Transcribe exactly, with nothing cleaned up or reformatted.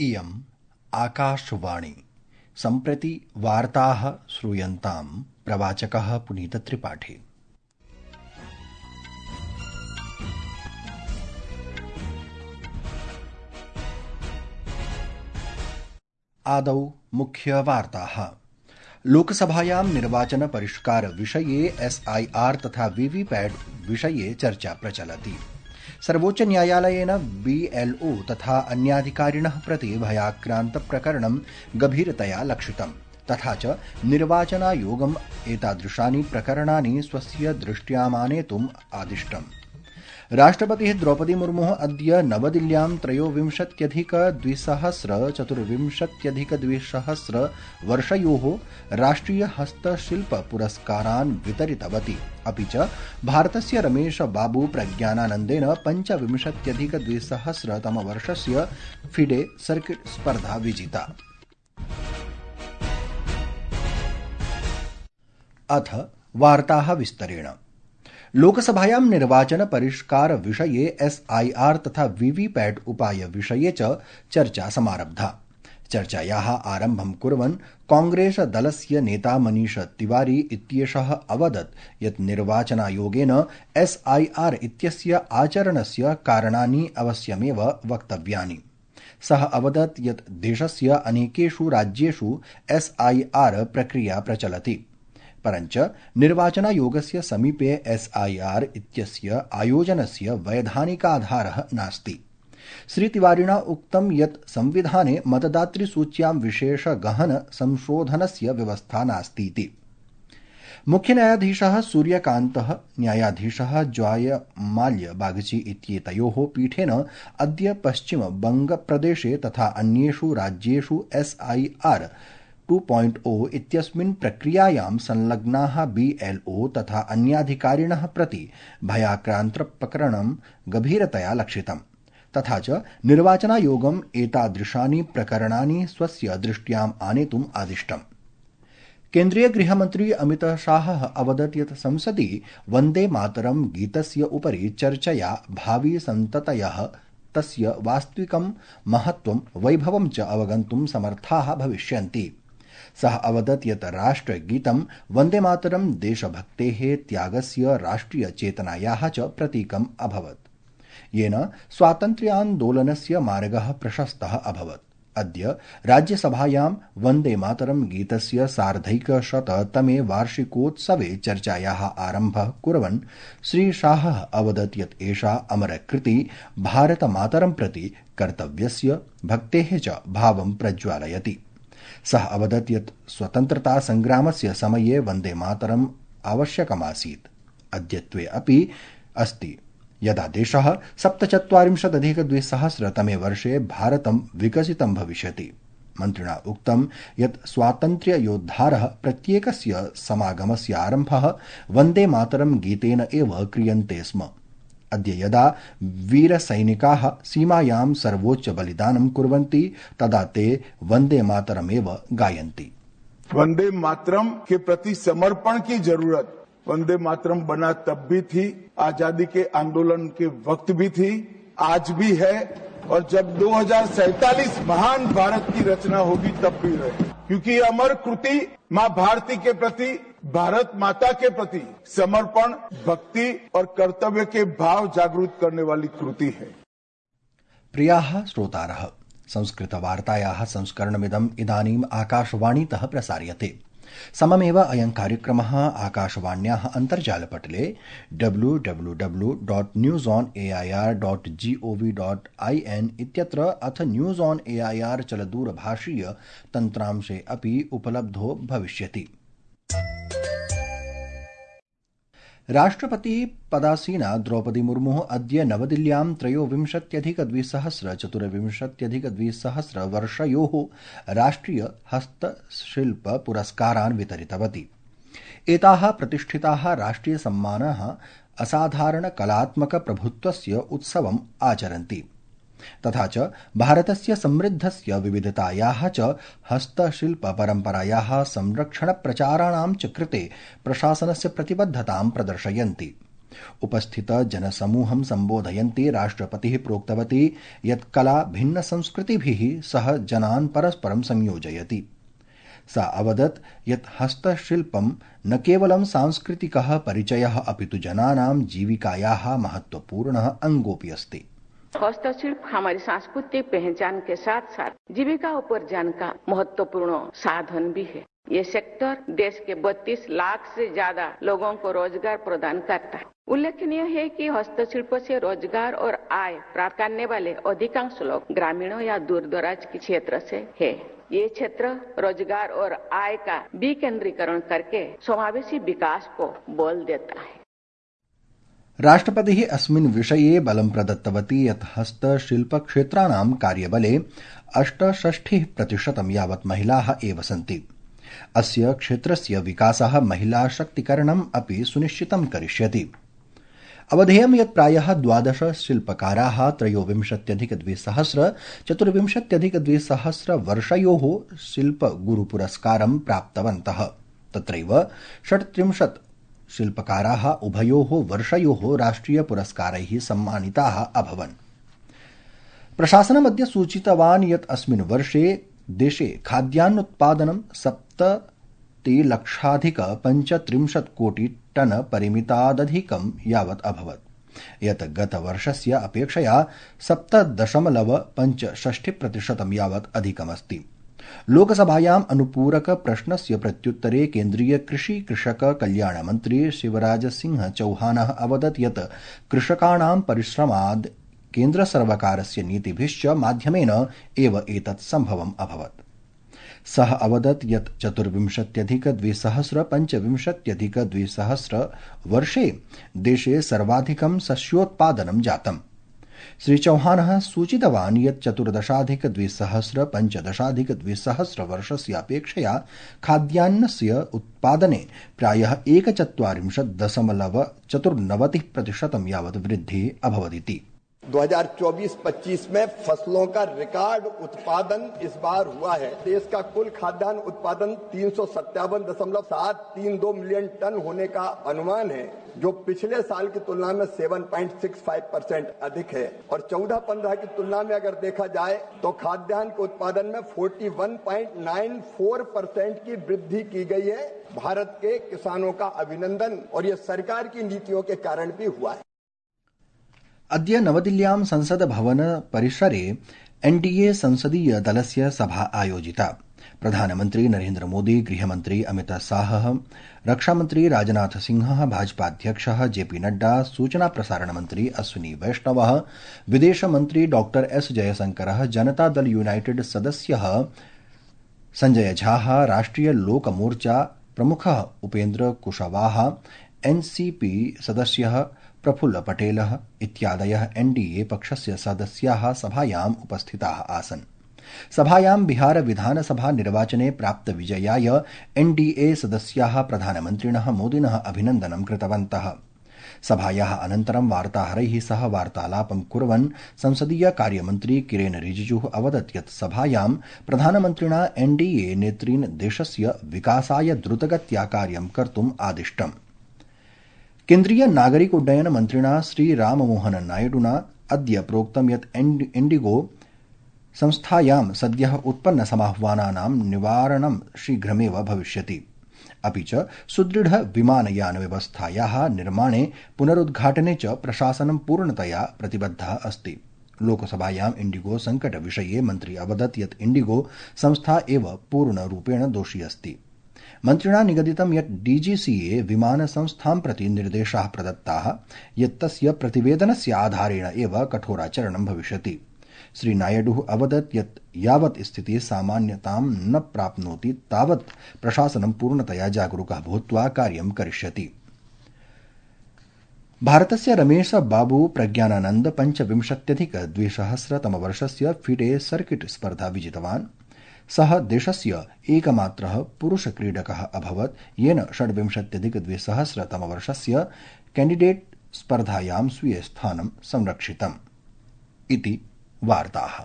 इयम् आकाशवाणी। सम्प्रति वार्ताः श्रूयन्ताम्। प्रवाचकः पुनीतत्रिपाठी। आदौ मुख्यवार्ताः। लोकसभायां निर्वाचन परिष्कार विषये एसआईआर तथा वीवीपैट विषये चर्चा प्रचलति। सर्वोच्च न्यायालयेन बीएलओ तथा अन्याधिकारिणः प्रति भयाक्रान्तप्रकरणं गभीरतया लक्षितम्। तथा च निर्वाचनायोगम् एतादृशानि प्रकरणानि स्वस्य दृष्ट्यामानेतुम् आदिष्टम्। राष्ट्रपतिः द्रौपदी मुर्मुः अद्य नवदिल्ल्यां त्रयोविंशत्यधिकद्विसहस्र चतुर्विंशत्यधिकद्विसहस्र वर्षयोः राष्ट्रिय हस्तशिल्प पुरस्कारान् वितरितवती। अपि च भारतस्य रमेश बाबू प्रज्ञानानन्देन पञ्चविंशत्यधिकद्विसहस्र तमवर्षस्य फिडे सर्किट स्पर्धा विजिता। अथ वार्ताः विस्तरेण। लोकसभायां निर्वाचन परिष्कार विषये एसआईआर तथा वीवीपैट उपाय विषये च चर्चा समारब्धा। चर्चायाः आरम्भं कुर्वन् कांग्रेस दलस्य नेता मनीष तिवारी इत्येषः अवदत् यत् निर्वाचनायोगेन एसआईआर इत्यस्य आचरणस्य कारणानि अवश्यमेव वक्तव्यानि। सः अवदत् यत् देशस्य अनेकेषु राज्येषु एसआईआर प्रक्रिया प्रचलति, परञ्च निर्वाचनायोगस्य समीपे एसआईआर इत्यस्य आयोजनस्य वैधानिकाधारः नास्ति। श्रीतिवारिणा उक्तं यत् संविधाने मतदातृसूच्यां विशेष गहन संशोधनस्य व्यवस्था नास्तीति। मुख्यन्यायाधीशः सूर्यकान्तः, न्यायाधीशः ज्वायमाल्य बागची इत्येतयोः पीठेन अद्य पश्चिम बंगप्रदेशे तथा अन्येषु राज्येषु एसआईआर टू पॉइंट ओ इत्यस्मिन् प्रक्रियायां संलग्नाः बीएलओ तथा अन्याधिकारिणः प्रति भयाक्रान्तप्रकरणं गभीरतया लक्षितम्। तथा च निर्वाचनायोगम् एतादृशानि प्रकरणानि स्वस्य दृष्ट्याम् आनेतुम् आदिष्टम्। केन्द्रीय गृहमन्त्री अमित शाहः अवदत् यत् संसदि वन्दे मातरं गीतस्य उपरि चर्चया भावी सन्ततयः तस्य वास्तविकं महत्त्वं वैभवं च अवगन्तुं समर्थाः भविष्यन्ति। सः अवदत् यत् राष्ट्रगीतं वन्दे मातरं देशभक्तेः त्यागस्य राष्ट्रियचेतनायाः च प्रतीकम् अभवत्, येन स्वातन्त्र्यान्दोलनस्य मार्गः प्रशस्तः अभवत्। अद्य राज्यसभायां वन्दे मातरं गीतस्य सार्धैकशततमे वार्षिकोत्सवे चर्चायाः आरम्भः कुर्वन् श्रीशाहः अवदत् यत् एषा अमरकृति भारतमातरं प्रति कर्तव्यस्य भक्तेः च भावं प्रज्वालयति। सः अवदत् यत् स्वतन्त्रता संग्रामस्य समये वन्दे मातरम् आवश्यकमासीत्, अद्यत्वे अपि अस्ति, यदा देशः सप्तचत्वारिंशदधिकद्विसहस्रतमे वर्षे भारतं विकसितं भविष्यति। मन्त्रिणा उक्तं यत् स्वातन्त्र्ययोद्धारः प्रत्येकस्य समागमस्य आरम्भः वन्दे मातरं गीतेन एव क्रियन्ते स्म। अद्य यदा वीरसैनिकाः सीमायां सर्वोच्च बलिदानं कुर्वन्ति तदा ते वन्दे मातरमेव गायन्ति। वन्दे मातरम के प्रति समर्पण की जरूरत वन्दे मातरम बना तब भी थी, आजादी के आंदोलन के वक्त भी थी, आज भी है, और जब दो हजार सैतालीस महान भारत की रचना होगी तब भी रहे, क्योंकि अमर कृति माँ भारती के प्रति, भारत माता के प्रति समर्पण, भक्ति और कर्तव्य के भाव जागृत करने वाली कृति है। प्रियाः श्रोतारः, संस्कृतवार्तायाः संस्करणमिदम् इदानीम् आकाशवाणीतः प्रसार्यते। सममेव अयं कार्यक्रमः आकाशवाण्याः अन्तर्जालपटले W W W dot news on A I R dot G O V dot I N इत्यत्र अथ news on A I R चलदूरभाषीय तन्त्रांशे अपि उपलब्धो भविष्यति। राष्ट्रपति पदासीना द्रौपदी मुर्मुः अद्य नवदिल्ल्यां त्रयोविंशत्यधिकद्विसहस्र चतुर्विंशत्यधिकद्विसहस्र वर्षयोः राष्ट्रिय हस्तशिल्प पुरस्कारान् वितरितवती। एताः प्रतिष्ठिताः राष्ट्रियसम्मानाः असाधारण कलात्मक प्रभुत्वस्य उत्सवम् आचरन्ति। तथा च भारतस्य समृद्धस्य विविधतायाः च हस्तशिल्प परम्परायाः संरक्षण प्रचाराणां च कृते प्रशासनस्य प्रतिबद्धतां प्रदर्शयन्ति। उपस्थित जनसमूहं सम्बोधयन्ती राष्ट्रपतिः प्रोक्तवती यत् कला भिन्नसंस्कृतिभिः सह जनान् परस्परं संयोजयति। सा अवदत् यत् हस्तशिल्पं न केवलं सांस्कृतिकः परिचयः अपितु जनानां जीविकायाः महत्वपूर्णः अंगोऽपि अस्ति। हस्तशिल्प हमारी सांस्कृतिक पहचान के साथ साथ जीविका उपार्जन का महत्वपूर्ण साधन भी है। ये सेक्टर देश के बत्तीस लाख से ज्यादा लोगों को रोजगार प्रदान करता है। उल्लेखनीय है कि हस्तशिल्प से रोजगार और आय प्राप्त करने वाले अधिकांश लोग ग्रामीणों या दूर दराज के क्षेत्र से है। ये क्षेत्र रोजगार और आय का विकेंद्रीकरण करके समावेशी विकास को बल देता है। राष्ट्रपतिः अस्मिन् विषये बलं प्रदत्तवती यत् हस्तशिल्पक्षेत्राणां कार्यबले अष्टषष्टिः प्रतिशतं यावत् महिलाः एव सन्ति। अस्य क्षेत्रस्य विकासः महिला शक्तिकरणम् अपि सुनिश्चितं करिष्यति। अवधेयं यत् प्रायः द्वादश शिल्पकाराः त्रयोविंशत्यधिकद्विसहस्र चतुर्विंशत्यधिकद्विसहस्र वर्षयोः शिल्पगुरुपुरस्कारं प्राप्तवन्तः। तत्रैव षट्त्रिंशत् शिल्पकाराः उभयोः वर्षयोः राष्ट्रियपुरस्कारैः सम्मानिताः अभवन्। प्रशासनमद्य सूचितवान् यत् अस्मिन् वर्षे देशे खाद्यान्नोत्पादनं सप्ततिलक्षाधिक पञ्चत्रिंशत् कोटि टन परिमितादधिकं यावत् अभवत्, यत् गतवर्षस्य अपेक्षया सप्त दशमलव पञ्चषष्टि प्रतिशतं यावत् अधिकमस्ति। लोकसभायाम् अनुपूरक प्रश्नस्य प्रत्युत्तरे केन्द्रीय कृषि कृषक कल्याण मन्त्री शिवराज सिंह चौहानः अवदत् यत् कृषकाणां परिश्रमाद् केन्द्रसर्वकारस्य नीतिभिश्च माध्यमेन एव एतत् सम्भवम् अभवत्। सः अवदत् यत् चतुर्विंशत्यधिकद्विसहस्र पञ्चविंशत्यधिकद्विसहस्र वर्षे देशे सर्वाधिकं सस्योत्पादनं जातम्। श्री चौहानः सूचितवान् यत् चतुर्दशाधिकद्विसहस्र पञ्चदशाधिकद्विसहस्र वर्षस्य अपेक्षया खाद्यान्नस्य उत्पादने प्रायः एकचत्वारिंशत् दशमलव चतुर्नवतिः प्रतिशतं यावत् वृद्धिः अभवदिति। दो हज़ार चौबीस पच्चीस में फसलों का रिकॉर्ड उत्पादन इस बार हुआ है। देश का कुल खाद्यान्न उत्पादन तीन सौ सत्तावन दशमलव सात तीन दो मिलियन टन होने का अनुमान है, जो पिछले साल की तुलना में सात पॉइंट छह पाँच परसेंट अधिक है। और चौदह पंद्रह की तुलना में अगर देखा जाए तो खाद्यान्न के उत्पादन में इकतालीस पॉइंट नौ चार परसेंट की वृद्धि की गई है। भारत के किसानों का अभिनंदन, और ये सरकार की नीतियों के कारण भी हुआ है। अद्य नवदिल्ल्यां संसद भवन परिसरे एनडीए संसदीय दलस्य सभा आयोजिता। प्रधानमन्त्री नरेन्द्र मोदी, गृहमन्त्री अमित शाह, रक्षामन्त्री राजनाथ सिंह, भाजपाध्यक्षः जेपी नड्डा, सूचना प्रसारण मंत्री अश्विनी वैष्णवः, विदेशमन्त्री डॉ एस जयशंकरः, जनता दल यूनाइटेड सदस्यः संजय झा, राष्ट्रिय लोक मोर्चा प्रमुखः उपेन्द्र कुशवाहा, एनसीपी सदस्यः प्रफुल्ल पटेलः इत्यादयः एनडीए पक्षस्य सदस्याः सभायाम् उपस्थिताः आसन्। सभायां बिहार विधानसभा निर्वाचने प्राप्त विजयाय एनडीए सदस्याः प्रधानमन्त्रिणः मोदिनः अभिनन्दनं कृतवन्तः। सभायाः अनन्तरं वार्ताहरैः सह वार्तालापं कुर्वन् संसदीय कार्यमन्त्री किरेन रिजिजुः अवदत् यत् सभायां प्रधानमन्त्रिणा एनडीए नेतृन् देशस्य विकासाय द्रुतगत्या कार्यं कर्तुम् आदिष्टम्। केन्द्रीय नागरिक उड्डयन मन्त्रिणा श्री राममोहन नायडुना अद्य प्रोक्तं यत् इण्डिगो संस्थायां सद्यः उत्पन्न समाह्वानानां निवारणं शीघ्रमेव भविष्यति। अपि च सुदृढ विमानयान व्यवस्थायाः निर्माणे पुनरुद्घाटने च प्रशासनं पूर्णतया प्रतिबद्धः अस्ति। लोकसभायां इण्डिगो संकट विषये मन्त्री अवदत् यत् इण्डिगो संस्था एव पूर्णरूपेण दोषी अस्ति। मन्त्रिणा निगदितं यत् डीजीसीए विमानसंस्थां प्रति निर्देशाः प्रदत्ताः यत् तस्य प्रतिवेदनस्य आधारेण एव कठोराचरणं भविष्यति। श्री नायडुः अवदत् यत् यावत् स्थितिः सामान्यतां न प्राप्नोति तावत् प्रशासनं पूर्णतया जागरूकः भूत्वा कार्यं करिष्यति। भारतस्य रमेश बाबू प्रज्ञानानन्द पञ्चविंशत्यधिक द्विसहस्रतमवर्षस्य फिडे सर्किट स्पर्धा विजितवान्। सः देशस्य एकमात्रः पुरुषक्रीडकः अभवत् येन षड्विंशत्यधिकद्विसहस्रतमवर्षस्य कैण्डिडेट स्पर्धायां स्वीयस्थानं संरक्षितम् इति वार्ताः।